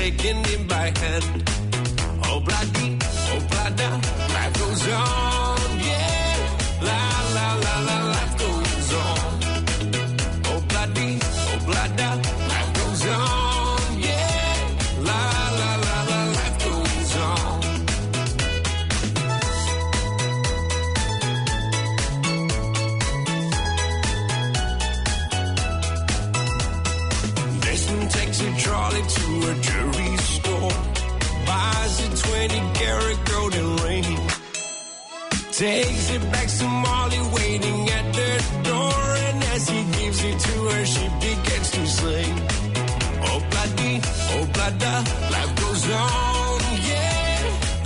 taking him by hand. Oh bloody, oh blada, life goes on, yeah. La la la la, life goes on. Oh bloody, oh blada, life goes on, yeah. La la la la, life goes on. Desmond takes a trolley to a jewelry store, buys a 20 karat golden ring, takes it back to Molly waiting at the door, and as he gives it to her, she begins to sing. Oh bloody, oh blada, life goes on, yeah.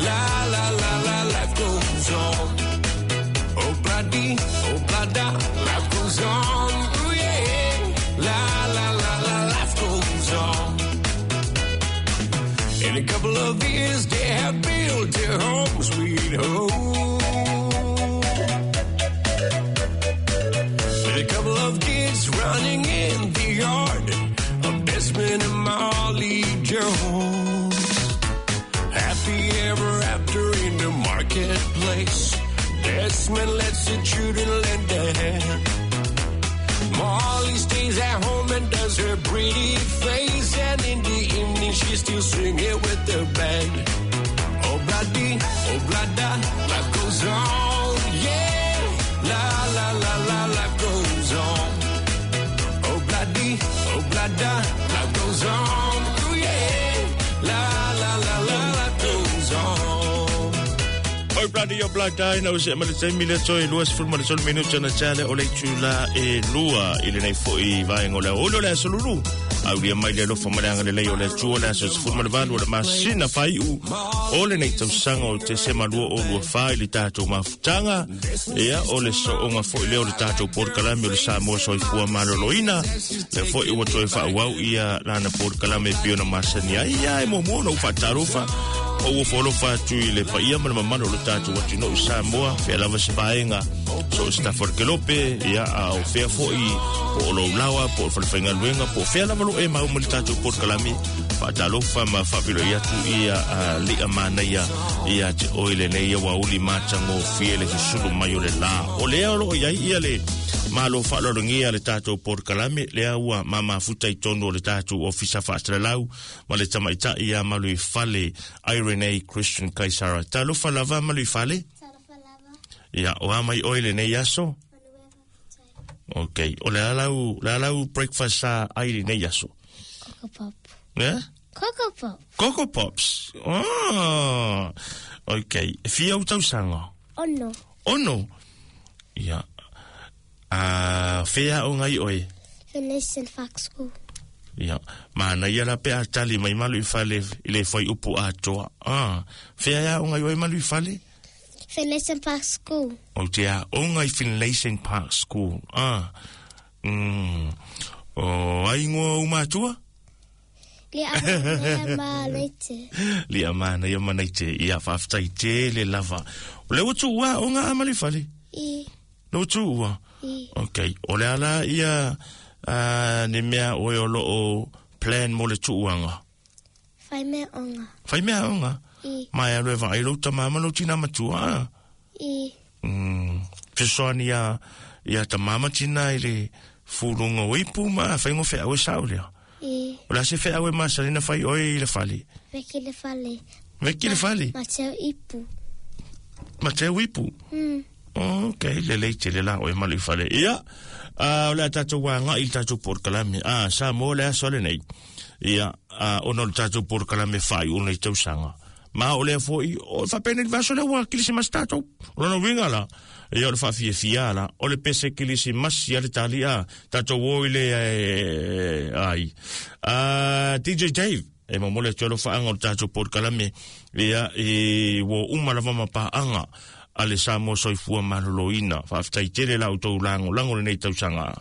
La la la la, life goes on. Oh bloody, oh blada, life goes on, ooh, yeah. La la la la, life goes on. In a couple of years, they have built their home, sweet home. With a couple of kids running in the yard of Desmond and Molly Jones. Happy ever after in the marketplace. Desmond lets the children lend a hand. Molly stays at home and does her pretty face, and in the evening she's still singing with the band. Oh bloody, oh blada, life goes on, yeah. La la la la, life goes on. Oh bloody, oh blada, life goes on, ooh, yeah. La la la la, life goes on. Oi bladi o blada ina o se ma le taimi le toe 23 minuta na tale o le itula e lua i lenei fo'i vaega o le aoauli o le aso lulu. Aulia mai le alofa ma le agalelei o le Atua o le aso 18 o le masina faai'u o lenei tausaga o Tesema 2024 i le tatou mafutaga. Ia, o le so'oga fo'i lea o le tatou polokalame o le Samoa Soifua Maloloina. Lea fo'i ua toe fa'aauau ia lana polokalame e pei ona masani ai. Ia, e muamua ona ou fa'atalofa ma ua foalofa atu i le paia ma le mamalu o le tatou atunuu i Samoa, fea lava se vaega, so o se tafa o le kelope, ia, a o fea fo'i, po o lou lawa, po o le falefaigaluega, po o fea lava lo e mau ma le tatou polokalame, fa'atalofa ma fa'afeiloai atu ia li'a manaia ia te oe lenei aoauli matagofie le susulu mai o le lā. O lea o lo'o i ai ia le malo fa'aloalogia le tatou polokalame, lea ua mamafuta i tonu o le tatou ofisa fa'asalalau ma le tamaita'i ia Maluifale Irene Christian Kaisara. Talofa lava Maluifale. Talofa lava. Ia, o a mai oe lenei aso? Okay. O le a lau breakfast sa ai lenei aso? Coco Pop. Yeah? Coco Pop. Coco Pops. Oh. Okay. E fia au tausaga? Ono. Ono? Ia. Fea o ngai oe? Finlayson Park School. Ia. Mana ia la pe a tali mai malu i fale i le whai upu atoa. Ah. Fea ia o ngai oe malu i fale? Finlayson Park School. O te a o ngai Finlayson Park School. Ah. O ai ngoa u matua? Lia mana ma leite. Lia mana ia manaite. Ia whaaftai te le lava. O le utu ua o ngā amali fale? I. Le utu ua? I. Okay. O le ala ia ne mea oe o loo plan mo le tuuanga? Whai mea onga. Whai mea onga? I. Mai alo e vaai lau tamama lau tina matua? I. Fesoani ia tamama tina i le fulunga o ipu ma whaingo whea oe sao lea. I. O la se whea oe masalina whai oe i le fale? Veki le fale. Veki le fale? Ma teo ipu. Ma teo ipu? Ok, le lei te le la oe malu i fale. Ia, o le a tātou wā ngai i tātou porokalame. Sa mō le aso le nei. Ia, ono le tātou porokalame whai o nei tausaga. Ma o lea foi, o whapene li vaso lea ua kilisimasi tātou. O lona uiga la, ia o le whaafiafia la, o le pese kilisimasi a le tali a, tātou o i le ai. DJ Dave, e momole atu alo whaanga o le tātou porokalame, ia e ua uma lava mapaanga a le Samoa Soifua Maloloina. Whaafetai tele la o tau lango, lango lenei tausaga.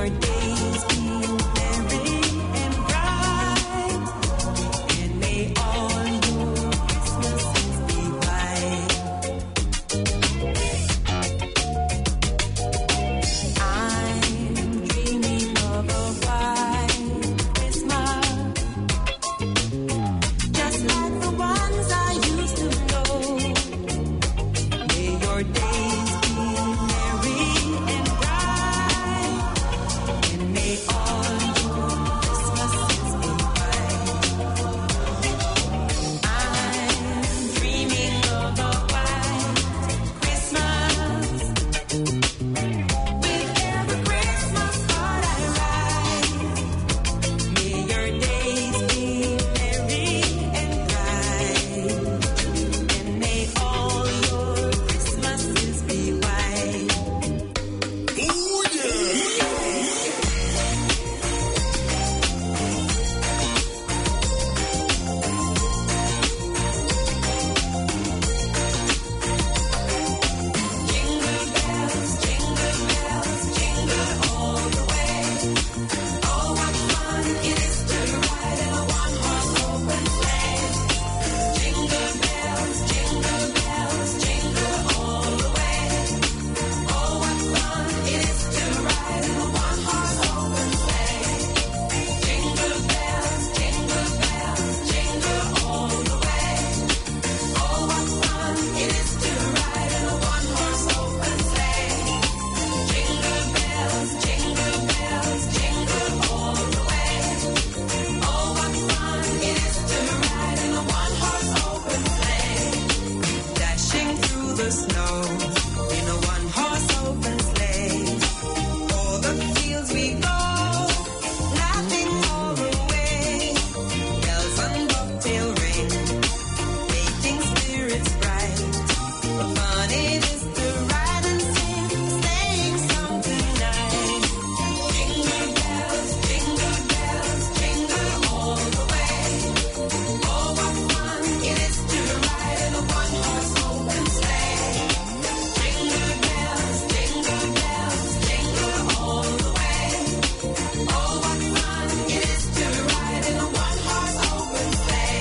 your days be merry and bright, and may all your Christmases be white. I'm dreaming of a white Christmas, just like the ones I used to know. May your days be merry and bright, and may all your Christmases be white. I'm dreaming of a white Christmas. With every Christmas card I write, may your days be merry and bright, and may all your Christmases be white. Jingle bells, jingle bells, jingle all the way. Oh, what fun it is to ride in a one-horse open sleigh. Jingle bells, jingle bells, jingle all the way. Oh, what fun it is to ride in a one-horse open sleigh. Jingle bells, jingle bells, jingle all the way. Oh, what fun it is to ride in a one-horse open sleigh. Jingle bells, jingle bells, jingle all the way. Oh, what fun it is to ride in a one-horse open sleigh. Dashing through the snow in a one-horse open sleigh. O'er the fields we go, laughing all the way. Bells on bobtail ring, making spirits bright. What fun it is to ride and sing a sleighing song tonight. Jingle bells, jingle bells, jingle all the way. Oh, what fun it is to ride in a one-horse open sleigh. Jingle bells, jingle bells, jingle all the way. Oh, what fun it is to ride in a one-horse open sleigh.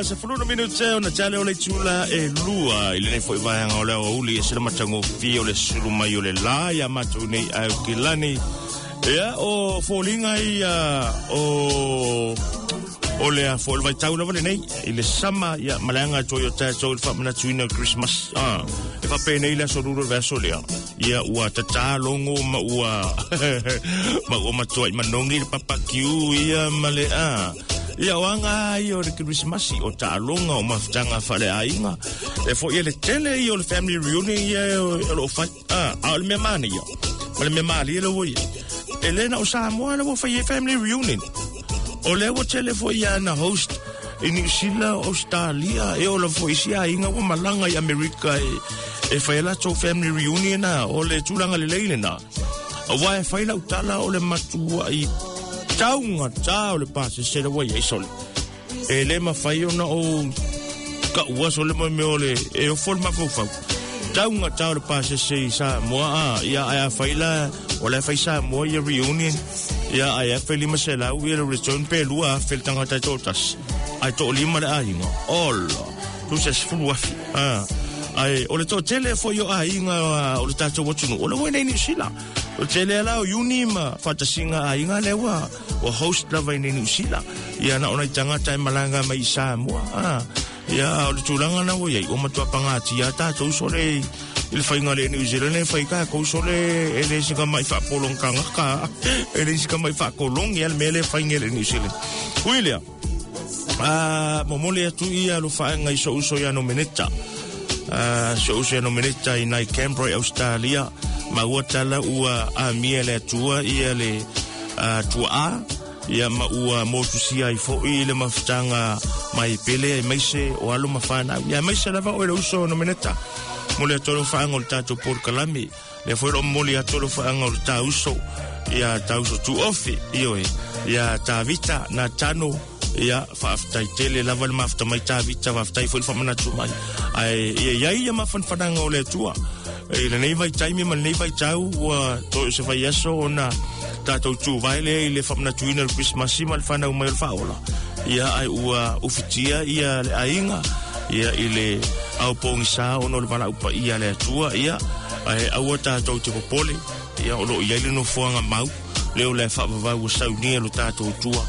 Se fulu na minute ona tale o le tula e lua i lenei foi vaega o le aoauli e sila matagofie o le sulu mai o le la ia matou nei ae o kilani. Ia o foliga ia o le a foi le vaitau lava lenei i le sama ia malaga toi o tatou i le faamanatuina o Christmas. E faapenei le aso lulu o le vaiaso lea. Ia ua tatalogo ma ua ma ua matuai manogi le papakiu ia ma le a. Ia o anga ai o le Christmas o taaloga o mafutaga faaleaiga. E foi e le tele ia o le family reunion ia o loo fai. A o le mea mane ia. Ma le mea malie le ua ia. E le na o Samoa le ua fai e family reunion. O le ua tele foi ia na host i New Zealand, Australia, e o la foi si aiga ua malaga i Amerika e fai latou family reunion na o le tulaga lelei lena. Aua e fai lau tala o le matua i taunga tā o le pasese le ua iai sole. E le mafai ona o ka ua sole mo mea o le e ofo le mafaufau. Taunga tā o le pasese i Samoa a ia ai a fai la o le fai Samoa ia reunion ia ai a fai lima se lau ia le return pe lua a fel tangata i tōtasi. Ai tō lima le aiga. Ola, tu se sefulu afi. Ai, o le tō tele foi o aiga o le tātou atunu. O le ua nei New Zealand. O tele ala o uni ma whatasinga aiga le ua o host lava i nei New Zealand. Ia na ona i tangata e malanga mai i Samoa. Ia o le tūlanga na ua iai o matua pangati ia tātou sole I le faiga le New Zealand e fai tatou sole e le sika mai faapolong tagata e le sika mai faakologi a le mea le faiga le New Zealand. Ui lea, momoli atu ia alofaaga i so'u uso ia Nomeneta, so'u uso ia Nomeneta i nai Canberra i Australia, ma ua tala ua amia le Atua ia le tuaa ia ma ua motusia ai fo'i le mafutaga mai pele aemaise o alo ma fanau ia aemaise lava oe le uso Nomeneta. Momoli atu alofaaga o le tatou polokalame lea foi loo momoli atu alofaaga o le tauso ia tauso tuofe ioe ia Tavita Natano ia faafetai tele lava le mafuta mai Tavita, faafetai foi le faamanatu mai ae ia iai ia mafanafanaga o le Atua i lenei vaitaimi ma lenei vaitau ua toe o se vaiaso ona tatou tuvae lea i le faamanatuina o le Krismasi ma le fanau mai o le Faaola ia ae ua ufitia ia le aiga ia i le aopogisā ona o le valaau paia a le Atua ia ae aua tatou te popole ia o loo i ai le nofoaga mau lea o le faavavau ua saunia lo tatou Atua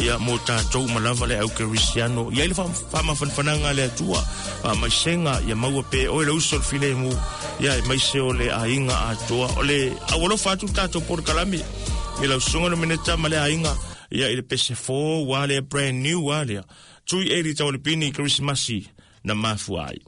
ia mo tatou ma lava le aukerisiano i ai le faamafanafanaga a le Atua faamaisega ia maua pe oe le uso le filemu ia aemaise o le aiga atoa o le aualofa atu le tatou polokalame i lau susuga le Minita ma le aiga ia i le pese fou ua lea brand new ua lea tui eli taualepini Kerisimasi na mafua ai.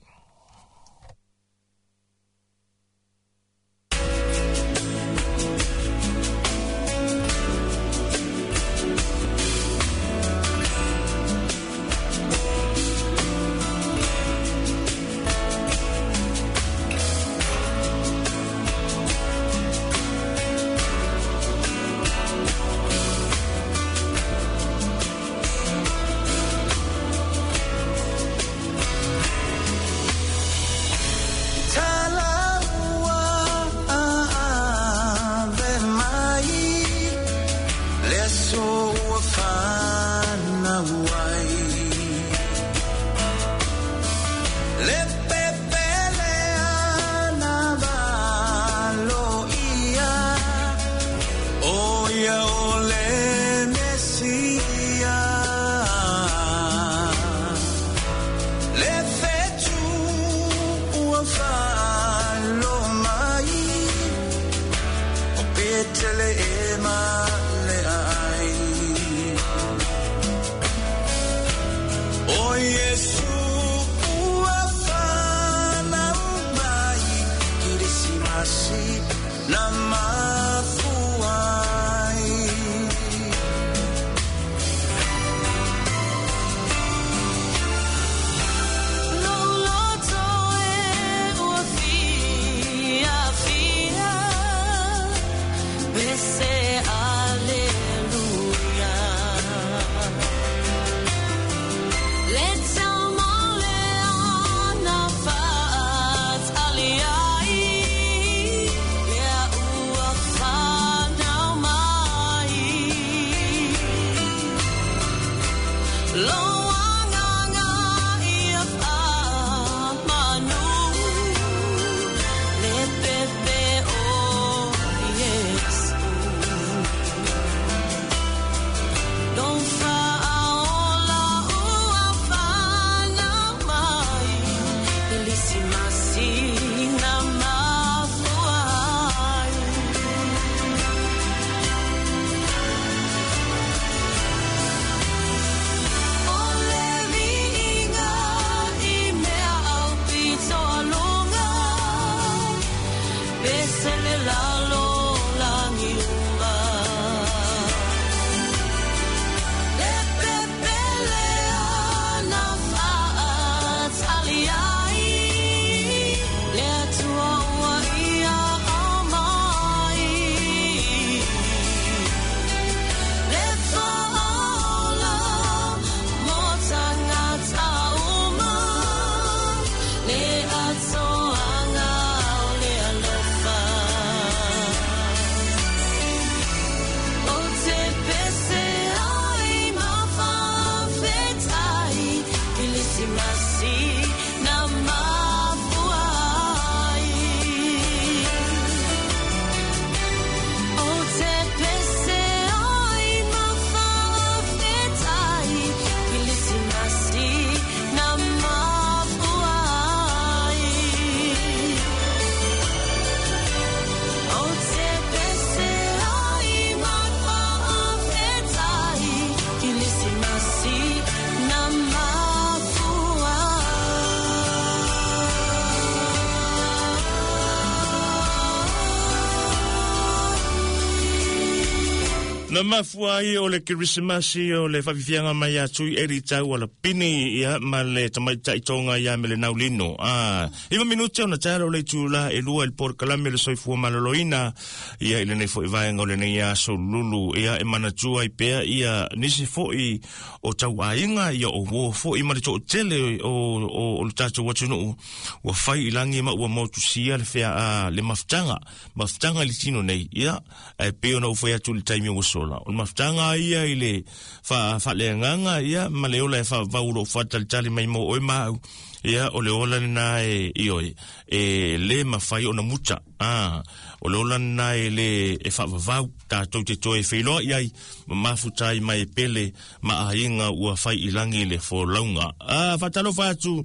Na mafua ai o le Kerisimasi o le faafiafiaga mai ia Tui Eli Taualapini ia ma le tamaitai Tonga ia Melenau Lino. A, 9 minute ona taeao o le itula e 2 i le polokalame o le soifua maloloina ia i lenei foi vaega o lenei aso lulu ia e manatua ai pea ia nisi foi o tauaiga ia o uo foi ma le toatele o le tatou atunuu ua fai i lagi ma ua motusia le fea a le mafutaga mafutaga i le tino nei ia ae pei ona ou fai atu i le taimi ua sola o le mafutaga ia i le faaleagaga ia ma le ola e faavavau o lo o faatalitali mai mo oe ma au ia o le ola lena e ioe e le mafai ona muta a o le ola lena e le e faavavau tatou te toe feiloai ai ma mafuta ai mai e pele ma aiga ua fai i lagi le folauga. A faatalofa atu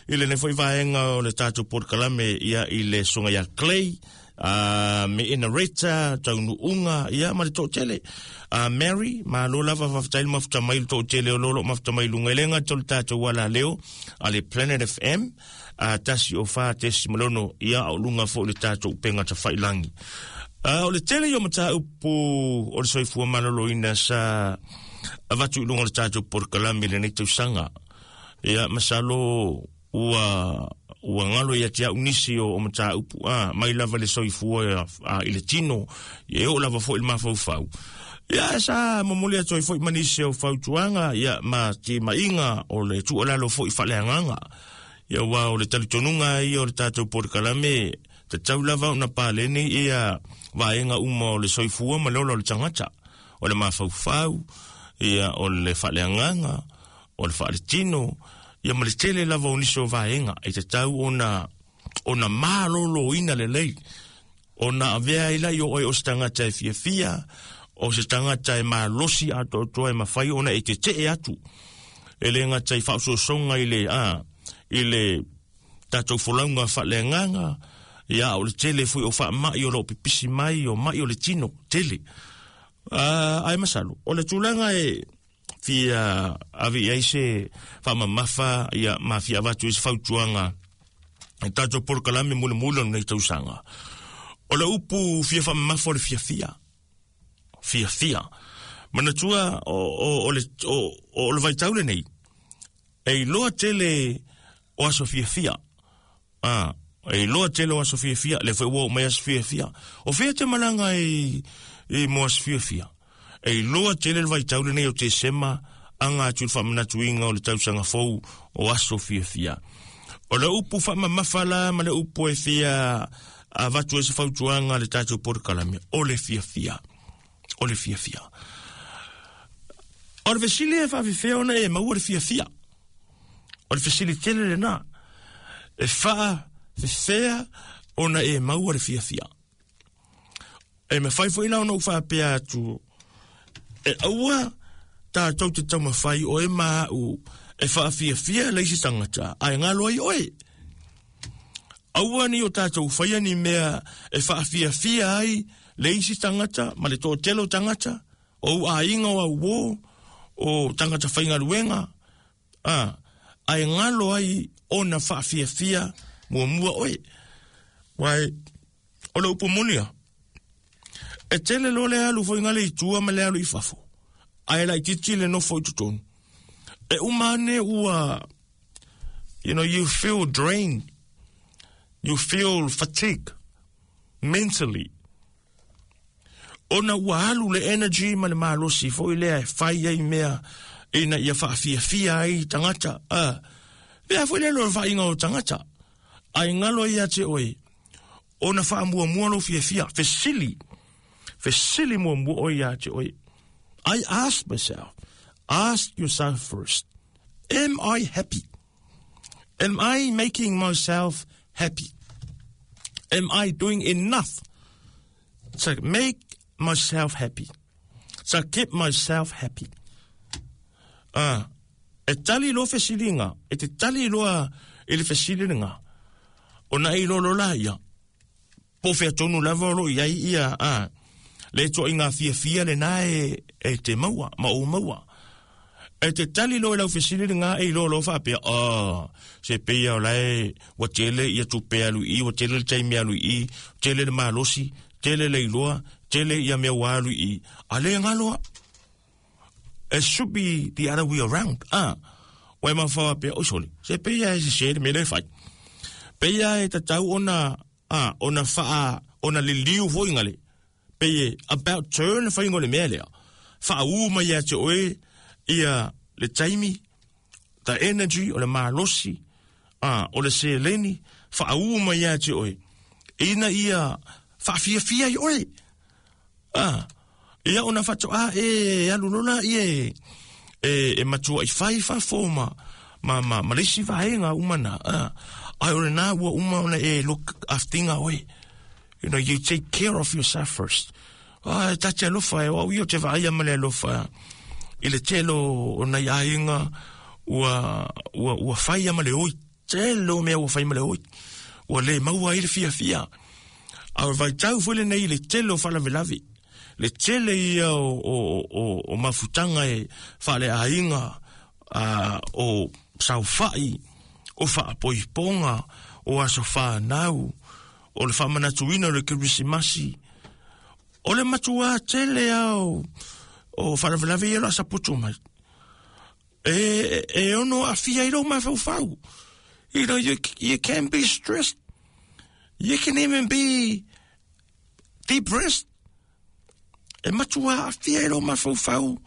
i lenei foi vaega o le tatou polokalame ia i le susuga ia Clay a me Enareta Taunuuga ia ma le toatele a Mary malo lava faafetai le mafuta mai le toatele o lo o mafuta mai luga i le gata o le tatou alaleo a le Planet FM a 104.6 ia o luga foi le tatou upega tafailangi. O le tele ia o mataupu o le soifua maloloina sa avatu i luga o le tatou polokalame i lenei tausaga. Ia, masalo ua ua galo ia te au nisi o mataupu a mai lava le soifua a, i le tino ia e oo lava foi i le mafaufau. Ia sa momoli atu ai foi ma nisi o fautuaga ia ma timaiga o le tuualalo foi faaleagaga. Ia aua o le talitonuga ia o le tatou polokalame tatau lava ona paleni ia vaega uma o le soifua ma le ola o le tagata. O le mafaufau, ia o le faaleagaga, o le faaletino, ia ma le tele lava o nisi o vaega e tatau ona ona maloloina lelei ona avea ai lai o oe o se tagata e fiafia, o se tagata e malosi atoatoa e mafai ona e tetee atu. E le gata i faaosoosoga i le, a, i le tatou folauga faaleagaga, ia, o le tele foi o faamai o lo o pipisi mai, o mai o le tino, tele. A, ae masalo, o le tulaga e fia ave i ai se faamamafa, ia, ma fia avatu ai se fautuaga i tatou polokalame mulimuli o lenei tausaga. O le upu fia faamamafa o le fiafia. Fiafia. Manatua o, o, o, le, o, o le vaitau lenei, e iloa tele o aso fiafia. A, e iloa tele o aso fiafia, le foi ua oo mai aso fiafia. O fea te malaga i, i mo aso fiafia? E iloa tele le vaitau lenei o Tesema, aga atu i le faamanatuina o le tausaga fou o aso fiafia. O le upu faamamafa la ma le upu e fia avatu ai se fautuaga a le tatou polokalame, o le fiafia. O le fiafia. O le fesili e faafefea ona e maua le fiafia. O le fesili tele lena. E faafefea ona e maua le fiafia. E mafai foi la ona ou faapea atu, e aua tatou te taumafai oe ma au e faafiafia le isi tagata, ae galo ai oe. Aua ni o tatou faia ni mea e faafiafia ai le isi tagata ma le toatele o tagata, o ou aiga o au uo, o tagata faigaluega, a, ae galo ai ona faafiafia muamua oe. Uae, o le upu moni a, e tele loa le alu foi ngale i tua ma le alu i fafo, ae laitiiti le nofo i totonu. E uma ane ua, you know, you feel drained, you feel fatigue mentally. Ona ua alu le energy ma le malosi foi lea e fai ai mea ina ia faafiafia ai tagata. A, lea foi le loa vaaiga o tagata. Ae galo ai ia te oe, ona faamuamua lou fiafia, fesili, fesili muamua oe ia te oe. I ask myself, ask yourself first, am I happy? Am I making myself happy? Am I doing enough to make myself happy? To keep myself happy? Ah, e tali loa fesiliga, e te tali loa i le fesiliga, ona e iloa loa laia, po o fea tonu lava o lo o i ai ia, a, le ituaiga fiafia lena e, e te maua, ma ou maua. E te tali loa i lau fesili lena e iloa loa faapea, oh, se pei lava o la e ua tele ia tupe alu i i, ua tele le taimi alu i i, tele le malosi, Tele le iloa, tele ia mea ua alu i i, a le galo a. It should be the other way around. Ah, ua e mafaufau pea, oi sole, se pei lava e sese le mea lea e fai. Pei lava e tatau ona, ah, ona faa, ona liliu foi ngale. Pei e about turn le faiga o le mea lea. Faaū mai ia te oe ia le taimi, the energy, o le malosi, ah, o le seleni, faaū mai ia te oe. Ina ia faafiafia ai oe. Ah, ia ona faatoa e alu loa laia e, e, e matuai fai fafo ma, ma, ma, ma le isi vaega uma na. Ah, ai o lena ua uma ona e look after oe. You know, you take care of yourself first. Ah, e ta te alofa e, o au ia o te vaaia ma le alofa i le tele o nai aiga ua, ua, ua faia ma le oi. Tele o mea ua fai ma le oi. Ua le maua ai le fiafia. A o le vaitau foi lenei i le tele o faalavelave, le tele ia o, o, o, o mafutaga e faaleaiga, a, o saofai, o faapoipoga, o aso fanau, o le faamanatuina o le Kerisimasi, o le matuā tele lava o, o faalavelave ia o le a saputu mai. E, e ono aafia ai lou mafaufau. You know, you, you can be stressed. You can even be depressed. E matua aafia ai lou mafaufau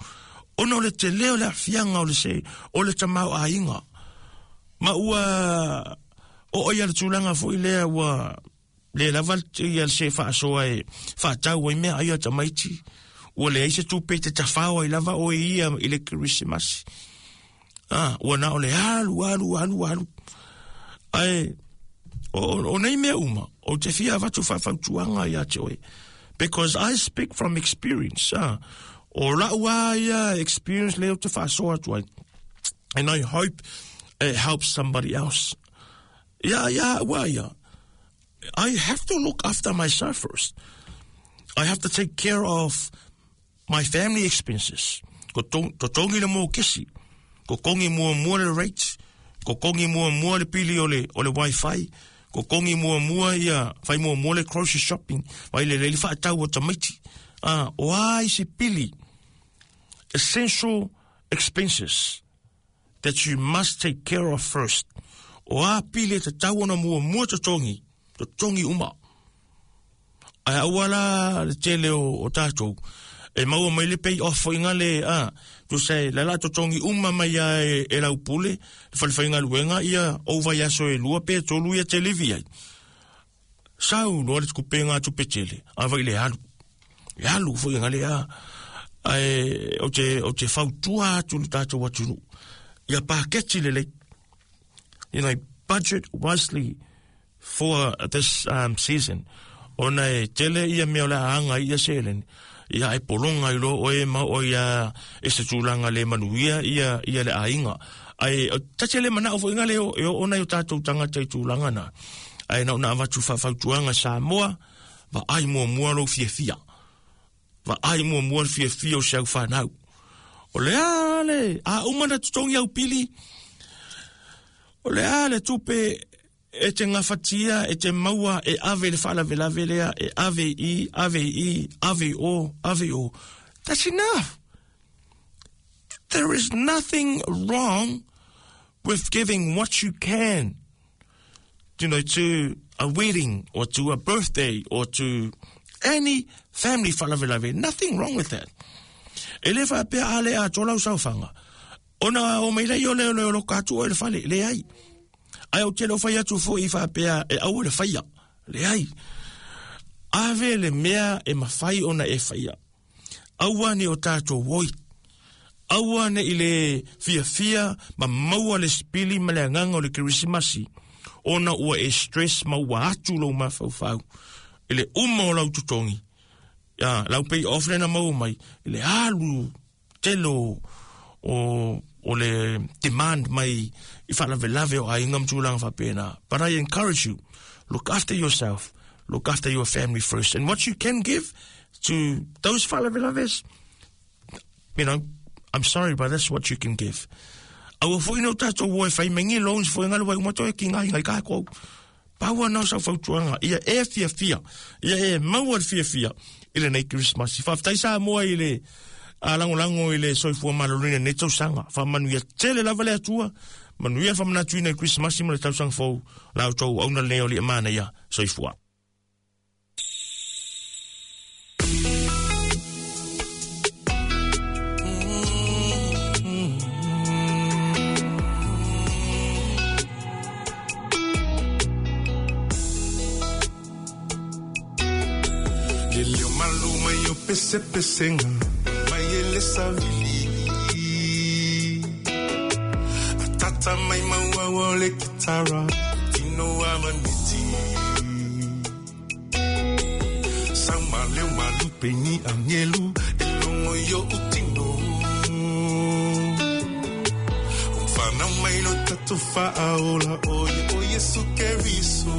ona o le tele o le aafiaga o le se, o le tamaoaiga. Ma ua oo ia le tulaga foi lea ua le lava ia se faasoa e faatau ai meaai a tamaiti. Ua leai se tupe e te tafao ai lava oe ia i le Kerisimasi. Ah, ua na o le alu, alu, alu, alu. Ae, o, o, o nei mea uma, ou te fia avatu faafautuaga ia te oe. Because I speak from experience. Ah, o lau a ia experience lea ou te faasoa atu ai. And I hope it helps somebody else. Ia, ia, ua ia. I have to look after myself first. I have to take care of my family expenses. Ko totogi le mokesi. Ko kongi muamua le rate. Ko kongi muamua le pili o le, o le wifi. Ko kongi muamua ia, fai muamua le grocery shopping. Vai le le faatau o tamaiti. Ah, o a isi pili. Essential expenses. that you must take care of first. O a pili e tatau ona muamua totogi, totogi uma. Ae aua la le tele o, o tātou, e maua mai le pay off foi ngale, a, tusa e lala totogi uma mai a e, e lau pule, le fale faigaluega, ia ou vaiaso e lua pe tolu ia te livi ai. Sau loa le kupenga atu pe tele, a vai le alu. E alu foi ngale a, ae ou te, ou te fautua atu le tātou atunuu. Ia paketi lelei. You know, budget wisely for this um, season. Ona e tele ia mea o le a anga ia seleni. Ia e polonga i loa oe ma oe ia e se tulaga le manuia ia, ia le aiga. Ae, ta te le manao foi ngale o, e oo nai o tātou tangata i tulaga na. Ae na ona avatu faafautuaga Samoa, vaai muamua lou fiafia. Vaai muamua le fiafia o si au fanau. O le a le, a uma na totogi au pili, o le a le tupe e te gafatia, e te maua, e ave i le faalavelave lea, e ave i i, ave i i, ave i o, ave i o. That's enough. There is nothing wrong with giving what you can, you know, to a wedding or to a birthday or to any family faalavelave. Nothing wrong with that. E le faapea a le atoa lau saofaga. Ona o mai lea o le o loka atu oe i le fale, leai. Ae ou te le o fai atu foi faapea e aua le faia, leai. Ave le mea e mafai ona e faia. Aua ne o tātou oi. Aua ne i le fiafia ma maua le sipili ma le agaga o le Kerisimasi, ona ua e stress ma ua atu lou mafaufau i le uma o lau totogi, ia, lau pay off lea na maua mai, i le alu tele o, o, o le demand mai i faalavelave o aiga ma tulaga faapena. But I encourage you, look after yourself, look after your family first. And what you can give to those faalavelaves, you know, I'm sorry, but that's what you can give. Aua foi no tātou o e whai mengi loans foi ngalo wai uma toe ki ngai ngai kākou. Paua na o sau fautuaga ia e fiafia, ia e maua le fiafia i lenei Kerisimasi. Faafetai Samoa i le lagolago i le soifua maloloina i lenei tausaga. Faamanuia tele lava le Atua, manuia le faamanatuina i Kerisimasi ma le tausaga fou. La outou auauna lenei o Alii Manaia. Soifua. Le leo malu mai o pesepesenga mai e le savili. A tata mai maua o le kitara tino a maniti. Sau ma leo malu peni angelu e longo i o utino. Whanau mai lo tatu whaaola o ye o Yesu Keriso.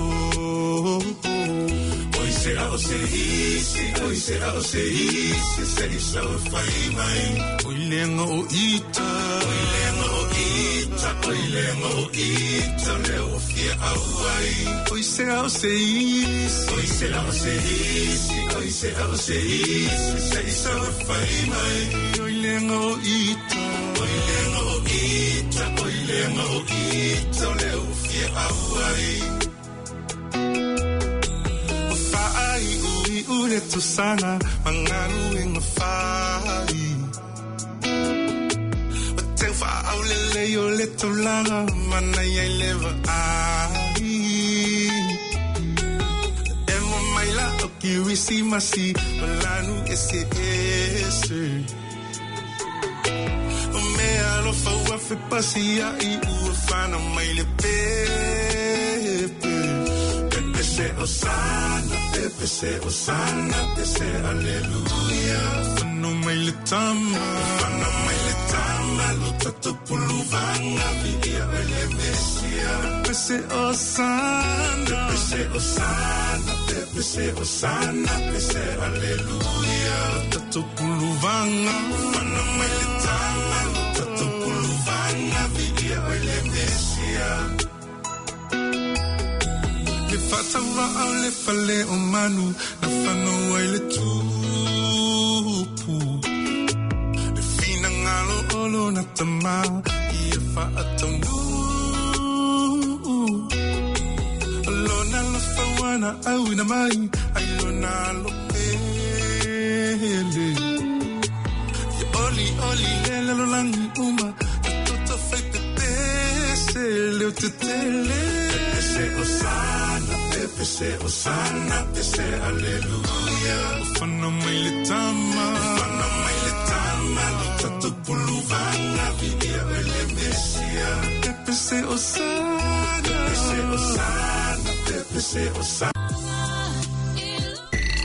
Oi se a o se isi, oi se a o se isi, se i sa o whai mai. Oi lenga o ita, oi lenga o ita, oi lenga o ita, leo o fia au ai. Oi se a o se isi, oi se a o se isi, oi se a o se isi, se i sa o whai mai. Oi lenga o ita, oi lenga o ita, oi lenga o ita, leo o fia au ai. O whaai ui ule tusana, mangalu inga whai. O te whaau lele o le tulaga, mana iai lewa ai. E mo mai la o Kirisimasi, o lanu ese ese. O mea alofa ua fepasia i ua whana mai le pepe. Pepe se osana, pepe se osana, pepe se aleluia. Whano mai le tama, whano mai le tama, lo tatu puluvanga, via ele Mesia. Pepe se osana, pepe se osana, pepe se osana, pepe se aleluia. Lo tatu puluvanga, whano mai le tama, lo tatu puluvanga, via ele Mesia. Le whatawa au le fale o manu, na whanau ai le tupu. Le whina ngalo olo na tama, i e whaataunu. Lona lo whawana au ina mai, ai lona lo pele. Ia oli oli lele lo langi uma, ta toto whai te pese, leo te tele. Pepe se osana, pepe se osana, pepe se aleluia. Whana mai le tama, whana mai le tama, lo tatu puluvanga, via ele Mesia. Pepe se osana, pepe se osana, pepe se osana.